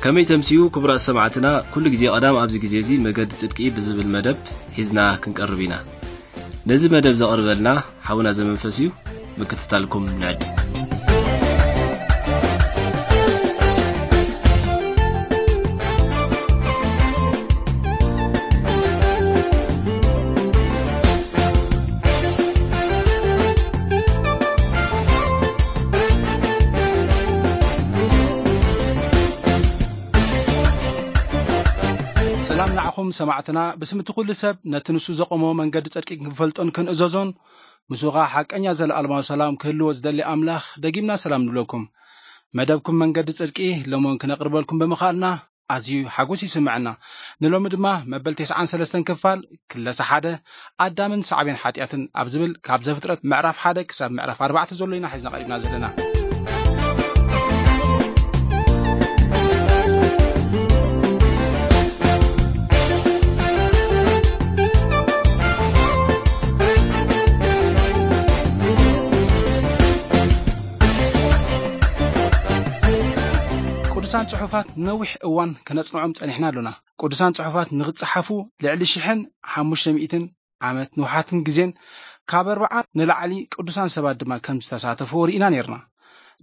ከመይ ተምስዩ ክቡራት ሰማዕትና፣ ኩሉ ግዜ ቀዳም ኣብዚ ግዜ እዚ መገዲ ጽድቂ ብዝብል መደብ ሒዝና ክንቀርብ ኢና። ነዚ መደብ ዘቕርበልና ሓውና ዘመንፈስ እዩ። ምክትታልኩም ንዕድም። ሰላም ንዓኹም ሰማዕትና፣ ብስም እቲ ኩሉ ሰብ ነቲ ንሱ ዘቆሞ መንገዲ ጽድቂ ክንፈልጦን ክንእዘዞን፣ ምስኡ ኸኣ ሓቀኛ ዘለኣለማዊ ሰላም ክህልዎ ዝደሊ ኣምላኽ ደጊምና ሰላም ንብለኩም። መደብኩም መንገዲ ጽድቂ ሎሞን ክነቕርበልኩም ብምኽኣልና ኣዝዩ ሓጎስ ይስምዐና። ንሎሚ ድማ መበል ተስዓን ሰለስተን ክፋል ክለሳ ሓደ ኣዳምን ሳዕቤን ሓጢኣትን ኣብ ዝብል ካብ ዘፍጥረት ምዕራፍ ሓደ ክሳብ ምዕራፍ ኣርባዕተ ዘሎ ኢና ሒዝና ቀሪብና ዘለና። ቅዱሳን ጽሑፋት ነዊሕ እዋን ከነጽንዖም ጸኒሕና ኣሎና። ቅዱሳን ጽሑፋት ንኽጸሓፉ ልዕሊ ሽሕን ሓሙሽተ ሚእትን ዓመት ንውሓትን ግዜን ካብ ኣርብዓ ንላዕሊ ቅዱሳን ሰባት ድማ ከም ዝተሳተፉ ርኢና ነርና።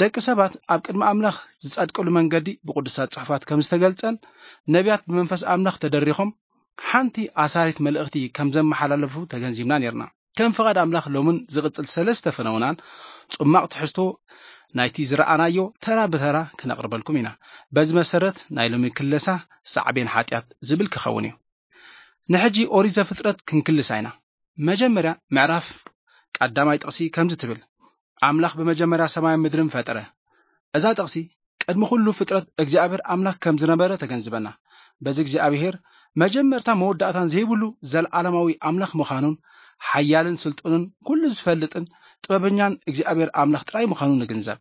ደቂ ሰባት ኣብ ቅድሚ ኣምላኽ ዝጸድቅሉ መንገዲ ብቅዱሳት ጽሑፋት ከም ዝተገልጸን ነቢያት ብመንፈስ ኣምላኽ ተደሪኾም ሓንቲ ኣሳሪት መልእኽቲ ከም ዘመሓላለፉ ተገንዚብና ነርና። ከም ፍቓድ ኣምላኽ ሎምን ዝቕጽል ሰለስተ ፈነውናን ጽማቕ ትሕዝቶ ናይቲ ዝረኣናዮ ተራ ብተራ ክነቕርበልኩም ኢና። በዚ መሰረት ናይ ሎሚ ክለሳ ሳዕቤን ሓጢኣት ዝብል ክኸውን እዩ። ንሕጂ ኦሪት ዘፍጥረት ክንክልሳ ኢና። መጀመርያ ምዕራፍ ቀዳማይ ጥቕሲ ከምዚ ትብል፣ ኣምላኽ ብመጀመርያ ሰማይን ምድርን ፈጠረ። እዛ ጥቕሲ ቅድሚ ኩሉ ፍጥረት እግዚኣብሔር ኣምላኽ ከም ዝነበረ ተገንዝበና። በዚ እግዚኣብሔር መጀመርታ መወዳእታን ዘይብሉ ዘለዓለማዊ ኣምላኽ ምዃኑን ሓያልን ስልጡንን ኩሉ ዝፈልጥን ጥበበኛን እግዚኣብሔር ኣምላኽ ጥራይ ምዃኑ ንግንዘብ።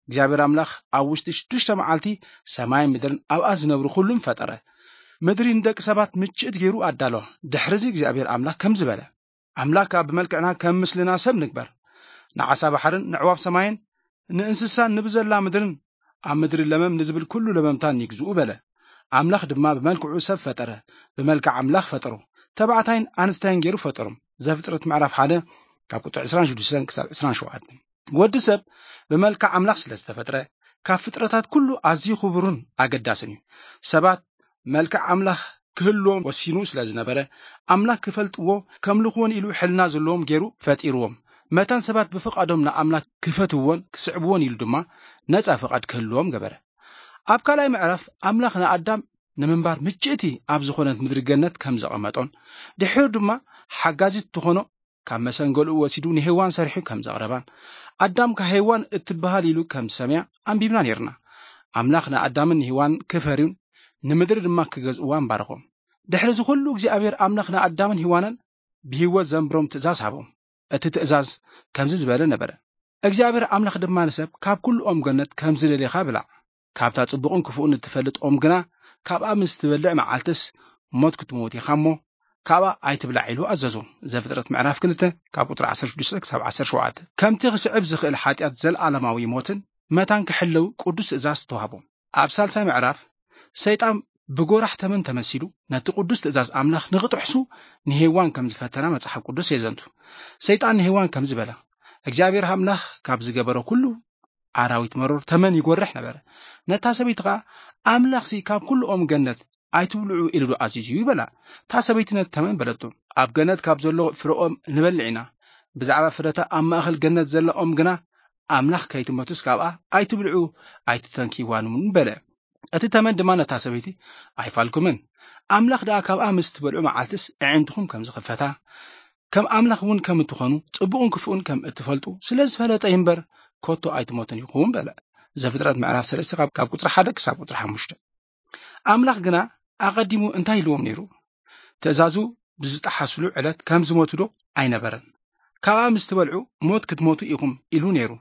እግዚኣብሔር ኣምላኽ ኣብ ውሽጢ ሽዱሽተ መዓልቲ ሰማይን ምድርን ኣብኣ ዝነብሩ ኩሉን ፈጠረ። ምድሪ ንደቂ ሰባት ምችእት ገይሩ ኣዳለዋ። ድሕርዚ እግዚኣብሔር ኣምላኽ ከምዚ በለ፣ ኣምላኽ ከኣ ብመልክዕና ከም ምስልና ሰብ ንግበር፣ ንዓሳ ባሕርን ንዕዋፍ ሰማይን ንእንስሳን ንብዘላ ምድርን ኣብ ምድሪ ለመም ንዝብል ኩሉ ለመምታን ይግዝኡ በለ። ኣምላኽ ድማ ብመልክዑ ሰብ ፈጠረ፣ ብመልክዕ ኣምላኽ ፈጠሮ፣ ተባዕታይን ኣንስታይን ገይሩ ፈጠሮም። ዘፍጥረት ምዕራፍ ሓደ ካብ ቁጥሪ ዕስራን ሽዱሽተን ክሳብ ዕስራን ሸውዓተን። ወዲ ሰብ ብመልክዕ ኣምላኽ ስለ ዝተፈጥረ ካብ ፍጥረታት ኩሉ ኣዝዩ ክቡርን ኣገዳስን እዩ። ሰባት መልክዕ ኣምላኽ ክህልዎም ወሲኑ ስለ ዝነበረ ኣምላኽ ክፈልጥዎ ከምልኽዎን ኢሉ ሕልና ዘለዎም ገይሩ ፈጢርዎም። መታን ሰባት ብፍቓዶም ንኣምላኽ ክፈትውዎን ክስዕብዎን ኢሉ ድማ ነጻ ፍቓድ ክህልዎም ገበረ። ኣብ ካልኣይ ምዕራፍ ኣምላኽ ንኣዳም ንምንባር ምችእቲ ኣብ ዝኾነት ምድሪ ገነት ከም ዘቐመጦን ድሒሩ ድማ ሓጋዚት ትኾኖ ካብ መሰንገሉ ወሲዱ ንሄዋን ሰሪሑ ከም ዘቕረባን ኣዳም ካብ ሄዋን እትበሃል ኢሉ ከም ዝሰምያ ኣንቢብና ነርና። ኣምላኽ ንኣዳምን ንሄዋን ክፈርዩን ንምድሪ ድማ ክገዝእዋን ባረኾም። ድሕሪ እዚ ኩሉ እግዚኣብሔር ኣምላኽ ንኣዳምን ሄዋንን ብህይወት ዘንብሮም ትእዛዝ ሃቦም። እቲ ትእዛዝ ከምዚ ዝበለ ነበረ፣ እግዚኣብሔር ኣምላኽ ድማ ንሰብ ካብ ኩሉ ኦም ገነት ከም ዝደሌኻ ብላዕ፣ ካብታ ጽቡቕን ክፉእን እትፈልጥ ኦም ግና ካብኣ ምስ ትበልዕ መዓልትስ ሞት ክትመውት ኢኻ እሞ ካብኣ ኣይትብላዕ ኢሉ ኣዘዞ። ዘፍጥረት ምዕራፍ ክልተ ካብ ቁጥሪ ዓሰርተ ሽዱሽተ ክሳብ ዓሰርተ ሸውዓተ። ከምቲ ክስዕብ ዝኽእል ሓጢኣት ዘለኣለማዊ ሞትን መታን ክሕለው ቅዱስ ትእዛዝ ተዋህቦም። ኣብ ሳልሳይ ምዕራፍ ሰይጣን ብጎራሕ ተመን ተመሲሉ ነቲ ቅዱስ ትእዛዝ ኣምላኽ ንኽጥሕሱ ንሄዋን ከም ዝፈተና መጽሓፍ ቅዱስ የዘንቱ። ሰይጣን ንሄዋን ከምዚ በላ፣ እግዚኣብሔር ኣምላኽ ካብ ዝገበሮ ኩሉ ኣራዊት መሮር ተመን ይጎርሕ ነበረ። ነታ ሰበይቲ ኸኣ ኣምላኽሲ ካብ ኩሉ ኦም ገነት ኣይትብልዑ ኢሉ ዶ ኣዚዙ ይበላ። እታ ሰበይቲ ነቲ ተመን በለቶ፣ ኣብ ገነት ካብ ዘሎ ፍረ ኦም ንበልዕ ኢና፣ ብዛዕባ ፍረታ ኣብ ማእኸል ገነት ዘላ ኦም ግና ኣምላኽ ከይትመቱስ ካብኣ ኣይትብልዑ ኣይትተንክይዋን እውን በለ። እቲ ተመን ድማ ነታ ሰበይቲ ኣይፋልኩምን። ኣምላኽ ደኣ ካብኣ ምስ ትበልዑ መዓልትስ ኣዒንትኹም ከም ዝኽፈታ ከም ኣምላኽ እውን ከም እትኾኑ ጽቡቕን ክፉእን ከም እትፈልጡ ስለ ዝፈለጠ እዩ እምበር ከቶ ኣይትሞትን ኢኹም በለ። ዘፍጥረት ምዕራፍ ሰለስተ ካብ ካብ ቁጽሪ ሓደ ክሳብ ቁጽሪ ሓሙሽተ። ኣምላኽ ግና ኣቐዲሙ እንታይ ኢልዎም ነይሩ? ትእዛዙ ብዝጠሓስሉ ዕለት ከም ዝሞቱ ዶ ኣይነበረን? ካብኣ ምስ ትበልዑ ሞት ክትሞቱ ኢኹም ኢሉ ነይሩ።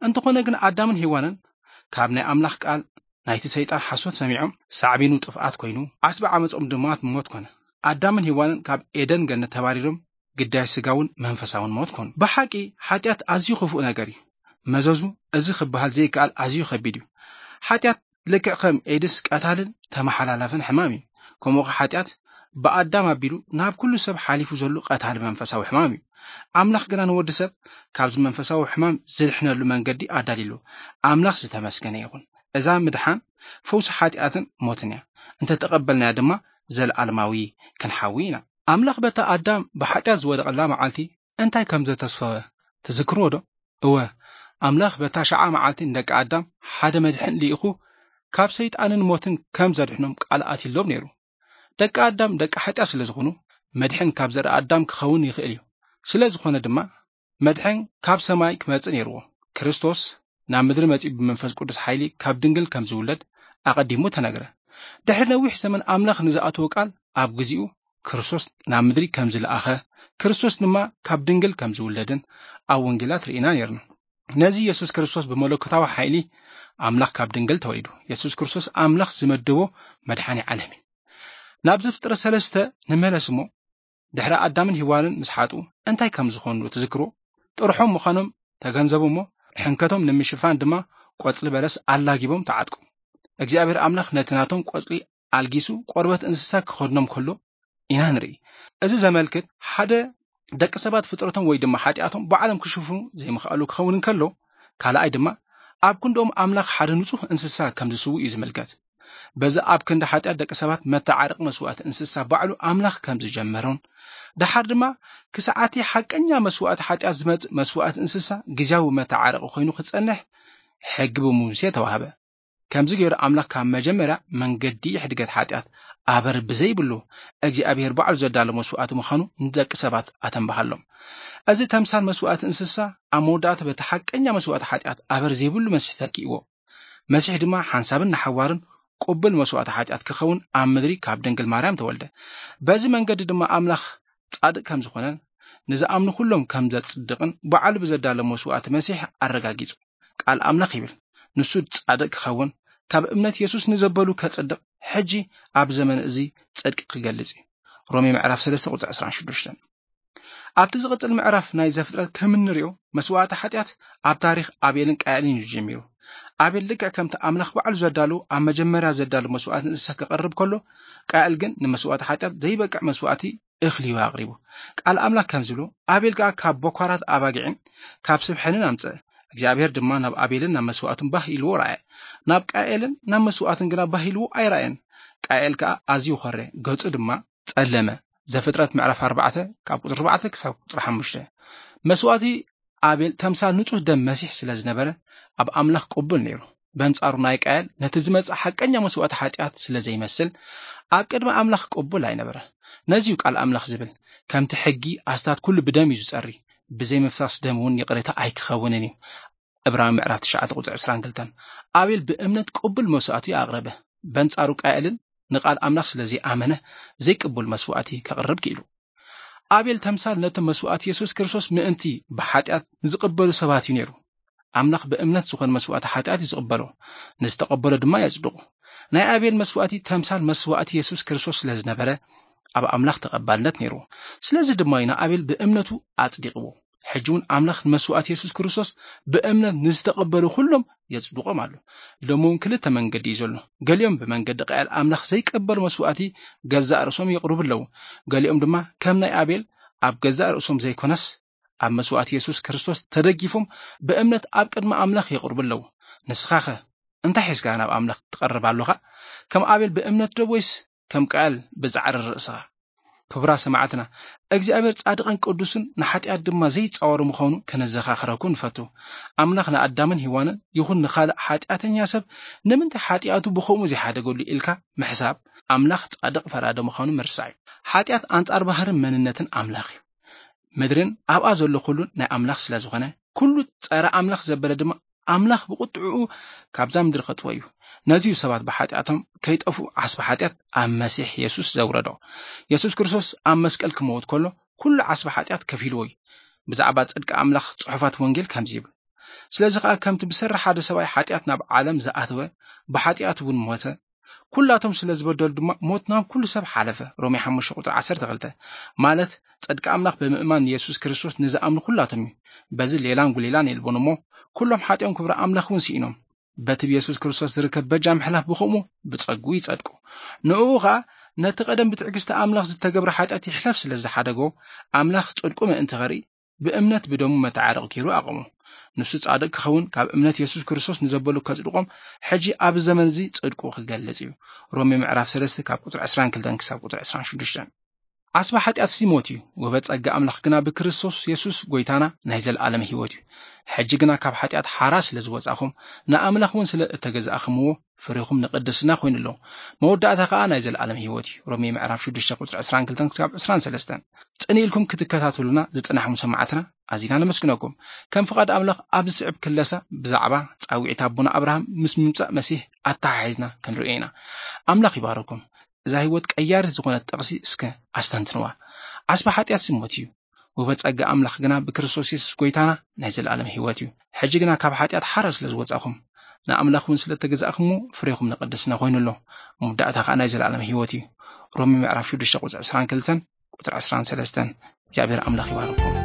እንተኾነ ግን ኣዳምን ሄዋንን ካብ ናይ ኣምላኽ ቃል ናይቲ ሰይጣን ሓሶት ሰሚዖም ሳዕቤኑ ጥፍኣት ኮይኑ ዓስቢ ዓመጾም ድማ ሞት ኮነ። ኣዳምን ሄዋንን ካብ ኤደን ገነት ተባሪሮም ግዳይ ስጋውን መንፈሳውን ሞት ኮኑ። ብሓቂ ሓጢኣት ኣዝዩ ክፉእ ነገር እዩ። መዘዙ እዚ ክበሃል ዘይከኣል ኣዝዩ ከቢድ እዩ። ሓጢኣት ልክዕ ከም ኤድስ ቀታልን ተመሓላላፍን ሕማም እዩ። ከምኡ ኸዓ ሓጢኣት ብኣዳም ኣቢሉ ናብ ኩሉ ሰብ ሓሊፉ ዘሎ ቀታሊ መንፈሳዊ ሕማም እዩ። ኣምላኽ ግና ንወዲ ሰብ ካብዚ መንፈሳዊ ሕማም ዝድሕነሉ መንገዲ ኣዳሊሉ። ኣምላኽ ዝተመስገነ ይኹን። እዛ ምድሓን ፈውሲ ሓጢኣትን ሞትን እያ። እንተተቐበልናያ ድማ ዘለኣለማዊ ክንሓዊ ኢና። ኣምላኽ በታ ኣዳም ብሓጢኣት ዝወደቐላ መዓልቲ እንታይ ከም ዘተስፈወ ትዝክርዎ ዶ? እወ፣ ኣምላኽ በታ ሸዓ መዓልቲ ንደቂ ኣዳም ሓደ መድሕን ልኢኹ ካብ ሰይጣንን ሞትን ከም ዘድሕኖም ቃል ኣትሎም ነይሩ። ደቂ ኣዳም ደቂ ሓጢኣት ስለ ዝኾኑ መድሕን ካብ ዘርኢ ኣዳም ክኸውን ይኽእል እዩ። ስለ ዝኾነ ድማ መድሕን ካብ ሰማይ ክመጽእ ነይርዎ። ክርስቶስ ናብ ምድሪ መጺኡ ብመንፈስ ቅዱስ ሓይሊ ካብ ድንግል ከም ዝውለድ ኣቐዲሙ ተነግረ። ድሕሪ ነዊሕ ዘመን ኣምላኽ ንዝኣተዎ ቃል ኣብ ግዚኡ ክርስቶስ ናብ ምድሪ ከም ዝለኣኸ፣ ክርስቶስ ድማ ካብ ድንግል ከም ዝውለድን ኣብ ወንጌላት ርኢና ነይርና። ነዚ የሱስ ክርስቶስ ብመለኮታዊ ሓይሊ ኣምላኽ ካብ ድንግል ተወሊዱ። የሱስ ክርስቶስ ኣምላኽ ዝመደቦ መድሓኒ ዓለም እዩ። ናብ ዘፍጥረት ሰለስተ ንመለስ እሞ፣ ድሕሪ ኣዳምን ሂዋንን ምስ ሓጡ እንታይ ከም ዝኾኑ ትዝክርዎ? ጥርሖም ምዃኖም ተገንዘቡ እሞ፣ ሕንከቶም ንምሽፋን ድማ ቆጽሊ በለስ ኣላጊቦም ተዓጥቁ። እግዚኣብሔር ኣምላኽ ነቲ ናቶም ቆጽሊ ኣልጊሱ ቆርበት እንስሳ ክኸድኖም ከሎ ኢና ንርኢ። እዚ ዘመልክት ሓደ ደቂ ሰባት ፍጥረቶም ወይ ድማ ሓጢኣቶም ባዕሎም ክሽፍኑ ዘይምኽኣሉ ክኸውን እንከሎ፣ ካልኣይ ድማ ኣብ ክንድኦም ኣምላኽ ሓደ ንጹህ እንስሳ ከም ዝስዉ እዩ ዝምልከት። በዚ ኣብ ክንዲ ሓጢኣት ደቂ ሰባት መተዓረቂ መስዋእቲ እንስሳ ባዕሉ ኣምላኽ ከም ዝጀመሮን፣ ደሓር ድማ ክሳዕ እቲ ሓቀኛ መስዋእቲ ሓጢኣት ዝመጽእ መስዋእቲ እንስሳ ግዜያዊ መተዓረቂ ኮይኑ ክጸንሕ ሕጊ ብሙሴ ተዋህበ። ከምዚ ገይሩ ኣምላኽ ካብ መጀመርያ መንገዲ ሕድገት ሓጢኣት ኣበር ብዘይብሉ እግዚኣብሔር ባዕሉ ዘዳሎ መስዋእቲ ምዃኑ ንደቂ ሰባት ኣተንባሃሎም። እዚ ተምሳል መስዋእቲ እንስሳ ኣብ መወዳእታ በቲ ሓቀኛ መስዋእቲ ሓጢኣት ኣበር ዘይብሉ መሲሕ ተኪእዎ። መሲሕ ድማ ሓንሳብን ንሓዋርን ቅቡል መስዋእቲ ሓጢኣት ክኸውን ኣብ ምድሪ ካብ ድንግል ማርያም ተወልደ። በዚ መንገዲ ድማ ኣምላኽ ጻድቅ ከም ዝኾነን ንዝኣምኑ ኩሎም ከም ዘጽድቕን ባዕሉ ብዘዳሎ መስዋእቲ መሲሕ ኣረጋጊጹ። ቃል ኣምላኽ ይብል፣ ንሱ ጻድቅ ክኸውን ካብ እምነት የሱስ ንዘበሉ ከጽድቕ ሕጂ ኣብ ዘመን እዚ ጽድቂ ክገልጽ እዩ። ሮሜ ምዕራፍ ሰለስተ ቁጽሪ ዕስራን ሽዱሽተን። ኣብቲ ዝቕጽል ምዕራፍ ናይ ዘፍጥረት ከም እንሪኦ መስዋእቲ ሓጢኣት ኣብ ታሪኽ ኣቤልን ቃኤልን እዩ ጀሚሩ። ኣቤል ልክዕ ከምቲ ኣምላኽ ባዕሉ ዘዳሉ ኣብ መጀመርያ ዘዳሉ መስዋእቲ እንስሳ ክቐርብ ከሎ፣ ቃኤል ግን ንመስዋእቲ ሓጢኣት ዘይበቅዕ መስዋእቲ እኽሊ እዩ ኣቕሪቡ። ቃል ኣምላኽ ከም ዝብሎ፣ ኣቤል ከኣ ካብ በኳራት ኣባጊዕን ካብ ስብ ሕንን ኣምጽአ። እግዚኣብሔር ድማ ናብ ኣቤልን ናብ መስዋእቱን ባህ ኢልዎ ረኣየ። ናብ ቃኤልን ናብ መስዋእቱን ግና ባህ ኢልዎ ኣይረኣየን። ቃኤል ከኣ ኣዝዩ ኾረ፣ ገጹ ድማ ጸለመ። ዘፍጥረት ምዕራፍ ኣርባዕተ ካብ ቁጽሪ ኣርባዕተ ክሳብ ቁጽሪ ሓሙሽተ። መስዋእቲ ኣቤል ተምሳል ንጹህ ደም መሲሕ ስለ ዝነበረ ኣብ ኣምላኽ ቅቡል ነይሩ። በንጻሩ ናይ ቃየል ነቲ ዝመጽእ ሓቀኛ መስዋእቲ ሓጢኣት ስለ ዘይመስል ኣብ ቅድሚ ኣምላኽ ቅቡል ኣይነበረ። ነዚ እዩ ቃል ኣምላኽ ዝብል፣ ከምቲ ሕጊ ኣስታት ኩሉ ብደም እዩ ዝጸሪ፣ ብዘይ ምፍሳስ ደም እውን ይቕሬታ ኣይክኸውንን እዩ። ዕብራዊ ምዕራፍ ትሽዓተ ቁጽሪ ዕስራን ክልተን። ኣቤል ብእምነት ቅቡል መስዋእቲ ኣቕረበ። በንጻሩ ቃየልን ንቓል ኣምላኽ ስለ ዘይኣመነ ዘይቅቡል መስዋእቲ ከቕርብ ክኢሉ። ኣቤል ተምሳል ነቲ መስዋእቲ የሱስ ክርስቶስ ምእንቲ ብሓጢኣት ንዝቕበሉ ሰባት እዩ ነይሩ። ኣምላኽ ብእምነት ዝኾነ መስዋእቲ ሓጢኣት እዩ ዝቕበሎ፣ ንዝተቐበሎ ድማ የጽድቑ። ናይ ኣቤል መስዋእቲ ተምሳል መስዋእቲ የሱስ ክርስቶስ ስለ ዝነበረ ኣብ ኣምላኽ ተቐባልነት ነይሩ። ስለዚ ድማ እዩ ንኣቤል ብእምነቱ ኣጽዲቕዎ። ሕጂ እውን ኣምላኽ ንመስዋእቲ የሱስ ክርስቶስ ብእምነት ንዝተቐበሉ ኩሎም የጽድቖም ኣሎ። ሎሚ እውን ክልተ መንገዲ እዩ ዘሎ። ገሊኦም ብመንገዲ ቃየል ኣምላኽ ዘይቀበሉ መስዋእቲ ገዛእ ርእሶም የቕርቡ ኣለዉ። ገሊኦም ድማ ከም ናይ ኣቤል ኣብ ገዛእ ርእሶም ዘይኮነስ ኣብ መስዋእቲ የሱስ ክርስቶስ ተደጊፎም ብእምነት ኣብ ቅድሚ ኣምላኽ የቕርቡ ኣለዉ። ንስኻኸ እንታይ ሒዝካ ናብ ኣምላኽ ትቐርብ ኣለኻ? ከም ኣቤል ብእምነት ዶ ወይስ ከም ቃየል ብጻዕሪ ርእስኻ? ክቡራት ሰማዕትና፣ እግዚኣብሔር ጻድቕን ቅዱስን ንሓጢኣት ድማ ዘይጻወር ምዃኑ ከነዘኻኽረኩም ንፈቱ። ኣምላኽ ንኣዳምን ሄዋንን ይኹን ንኻልእ ሓጢኣተኛ ሰብ ንምንታይ ሓጢኣቱ ብኸምኡ ዘይሓደገሉ ኢልካ ምሕሳብ ኣምላኽ ጻድቕ ፈራዲ ምዃኑ ምርሳዕ እዩ። ሓጢኣት ኣንጻር ባህርን መንነትን ኣምላኽ እዩ። ምድርን ኣብኣ ዘሎ ኩሉን ናይ ኣምላኽ ስለ ዝኾነ፣ ኩሉ ጸረ ኣምላኽ ዘበለ ድማ ኣምላኽ ብቁጥዕኡ ካብዛ ምድሪ ከጥፍኦ እዩ። ነዚ እዩ ሰባት ብሓጢኣቶም ከይጠፍኡ ዓስቢ ሓጢኣት ኣብ መሲሕ የሱስ ዘውረዶ። የሱስ ክርስቶስ ኣብ መስቀል ክመውት ከሎ ኩሉ ዓስቢ ሓጢኣት ከፊልዎ እዩ። ብዛዕባ ጽድቂ ኣምላኽ ጽሑፋት ወንጌል ከምዚ ይብል፣ ስለዚ ከኣ ከምቲ ብሰሪ ሓደ ሰብኣይ ሓጢኣት ናብ ዓለም ዝኣተወ፣ ብሓጢኣት እውን ሞተ፣ ኩላቶም ስለ ዝበደሉ ድማ ሞት ናብ ኩሉ ሰብ ሓለፈ። ሮሜ ሓሙሽተ ቁጽሪ ዓሰርተ ክልተ። ማለት ጽድቂ ኣምላኽ ብምእማን ንየሱስ ክርስቶስ ንዝኣምኑ ኩላቶም እዩ። በዚ ሌላን ጉሌላን የልቦን እሞ ኩሎም ሓጢኦም ክብሪ ኣምላኽ እውን ስኢኖም። በቲ ብየሱስ ክርስቶስ ዝርከብ በጃ ምሕላፍ ብኸምኡ ብጸጉ ይጸድቁ። ንእኡ ኸኣ ነቲ ቀደም ብትዕግስቲ ኣምላኽ ዝተገብረ ሓጢኣት ይሕለፍ ስለ ዝሓደጎ፣ ኣምላኽ ጽድቁ ምእንቲ ኸርኢ ብእምነት ብደሙ መተዓረቂ ገይሩ ኣቐሞ። ንሱ ጻድቅ ክኸውን ካብ እምነት የሱስ ክርስቶስ ንዘበሉ ከጽድቆም ሕጂ ኣብ ዘመን እዚ ጽድቁ ክገልጽ እዩ። ሮሜ ምዕራፍ ሰለስተ ካብ ቁጽሪ ዕስራን ክልተን ክሳብ ቁጽሪ ዕስራን ሽዱሽተን። ዓስባ ሓጢኣት ሲ ሞት እዩ፣ ውህበት ጸጋ ኣምላኽ ግና ብክርስቶስ የሱስ ጎይታና ናይ ዘለኣለም ህይወት እዩ። ሕጂ ግና ካብ ሓጢኣት ሓራ ስለ ዝወጻኹም፣ ንኣምላኽ እውን ስለ እተገዛእኽምዎ፣ ፍሬኹም ንቅድስና ኮይኑ ኣሎ። መወዳእታ ከኣ ናይ ዘለኣለም ህይወት እዩ። ሮሜ ምዕራፍ ሽዱሽተ ቁጽሪ ዕስራን ክልተን ክሳብ ዕስራን ሰለስተን። ጽን ኢልኩም ክትከታተሉና ዝጸናሕኩም ሰማዕትና ኣዚና ነመስግነኩም። ከም ፍቓድ ኣምላኽ ኣብዚ ስዕብ ክለሳ ብዛዕባ ጻውዒት ኣቦና ኣብርሃም ምስ ምምጻእ መሲሕ ኣተሓሒዝና ክንርእዮ ኢና። ኣምላኽ ይባረኩም። እዛ ህይወት ቀያሪት ዝኾነት ጥቕሲ እስከ ኣስተንትንዋ። ዓስባ ሓጢኣት ሲ ሞት እዩ። ውህበት ጸጋ ኣምላኽ ግና ብክርስቶስ የሱስ ጎይታና ናይ ዘለኣለም ህይወት እዩ። ሕጂ ግና ካብ ሓጢኣት ሓራ ስለ ዝወጻኹም፣ ንኣምላኽ እውን ስለ እተገዛእኹምዎ ፍሬኹም ንቅድስና ኮይኑ ኣሎ። መወዳእታ ከኣ ናይ ዘለኣለም ህይወት እዩ። ሮሜ ምዕራፍ ሽዱሽተ ቁጽሪ ዕስራን ክልተን ቁጽሪ ዕስራን ሰለስተን። እግዚኣብሔር ኣምላኽ ይባርኩም።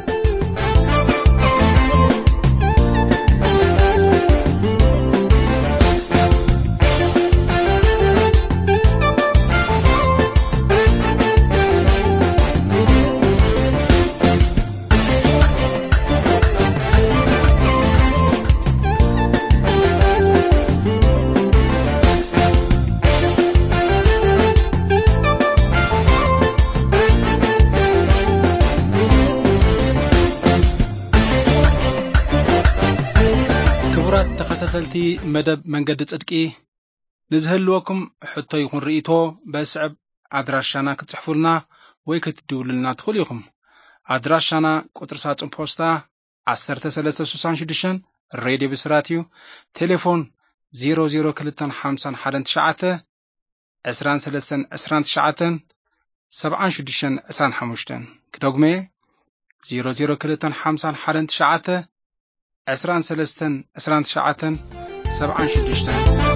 ክቡራት ተኸታተልቲ መደብ መንገዲ ጽድቂ፣ ንዝህልወኩም ሕቶ ይኹን ርእይቶ በስዕብ ኣድራሻና ክትጽሕፉልና ወይ ክትድውሉልና ትኽእሉ ኢኹም። ኣድራሻና ቁጽሪ ሳጹን ፖስታ ዓሰርተ ሰለስተ ስሳን ሽዱሽተን፣ ሬድዮ ብስራት እዩ። ቴሌፎን ዜሮ ዜሮ ክልተን ሓምሳን ሓደን ትሽዓተ፣ ዕስራን ሰለስተን ዕስራን ትሽዓተን፣ ሰብዓን ሽዱሽተን ዕስራን ሓሙሽተን። ክደግሞ እየ፣ ዜሮ ዜሮ ክልተን ሓምሳን ሓደን ትሽዓተ፣ ዕስራን ሰለስተን ዕስራን ትሽዓተን፣ ሰብዓን ሽዱሽተን።